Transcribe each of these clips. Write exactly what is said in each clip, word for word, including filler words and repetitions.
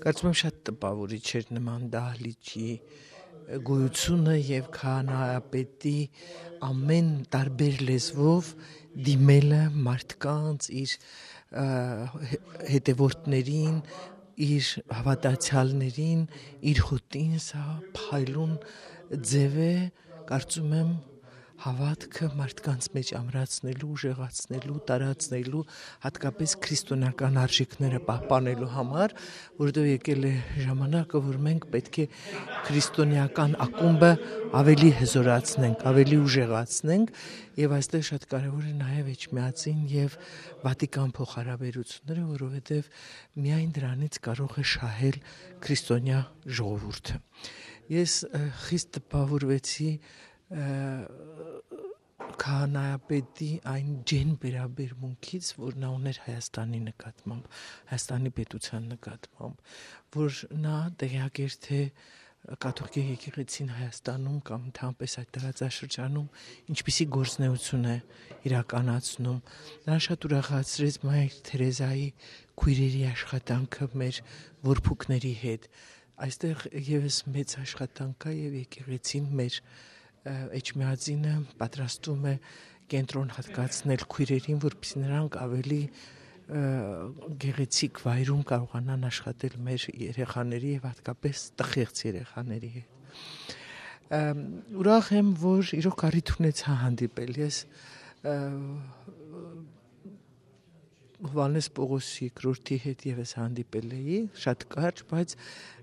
Կարծում եմ շատ տպաւորիչ էր նման դահլիճի գոյությունը եւ քահանայապետի ամեն տարբեր լեզվով դիմելը մարդկանց, իր, ը, հե-, հետեւորդներին, իր հաւատացեալներին, իր հօտին, սա փայլուն ձեւ է, կարծում եմ, հաւատքը մարդկանց մէջ ամրացնելու, ուժեղացնելու, տարածնելու, հատկապես քրիստոնեական արժեքները պահպանելու համար, որովհետեւ եկել է ժամանակը, որ մենք պէտք է քրիստոնեական ակումբը ավելի հզորացնենք, ավելի ուժեղացնենք, եւ այստեղ շատ կարեւոր է նաեւ Էջմիածին եւ Վատիկան փոխհարաբերությունները, որովհետեւ միայն դրանից կարող է շահել քրիստոնեայ ժողովուրդը։ Ես, ը, խիստ տպաւորուեցի, ը, քահանայապետի այն ջերմ վերաբերմունքից, որ նա ուներ Հայաստանի նկատմամբ, Հայաստանի պետության նկատմամբ, որ նա տեղյակ էր, թե կաթողիկէ եկեղեցին Հայաստանում կամ ընդհանրապես այդ տարածաշրջանում ինչպիսի գործունեություն է իրականացնում։ Նա շատ ուրախացրեց Մայր Թերեզայի քույրերի աշխատանքը մեր որբուքների հետ։ Այստեղ եւս մեծ աշխատանք կա եւ եկեղեցին մեր, ը, Էջմիածինը պատրաստում է կենտրոն հատկացնել քույրերին, որպեսզի նրանք ավելի, ը, գեղեցիկ վայրում կարողանան աշխատել մեր երեխաների եւ հատկապես տխեղծ երեխաների հետ։ Ըմ, ուրախ եմ, որ իրոք առիթ ունեցա հանդիպել։ Ես, ը, Յովհաննէս Պողոս երկրորդի հետ եւս հանդիպել էի, շատ կարճ, բայց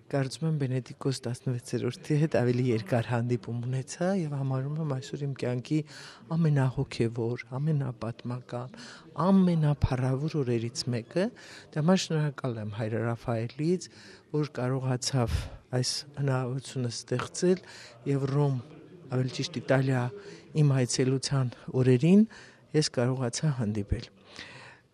կարծում եմ Բենեդիկտոս տասնվեցերորդի հետ ավելի երկար հանդիպում ունեցայ եւ համարում եմ այսօր իմ կեանքի ամենահոգեւոր, ամենապատմական, ամենափառաւոր օրերից մէկը։ Դե համար շնորհակալ եմ Հայր Ռաֆայելից, որ կարողացաւ այս հնարաւորությունը ստեղծել եւ Ռոմ, ավելի ճիշտ Իտալիա, իմ այցելութեան օրերին ես կարողացայ հանդիպել։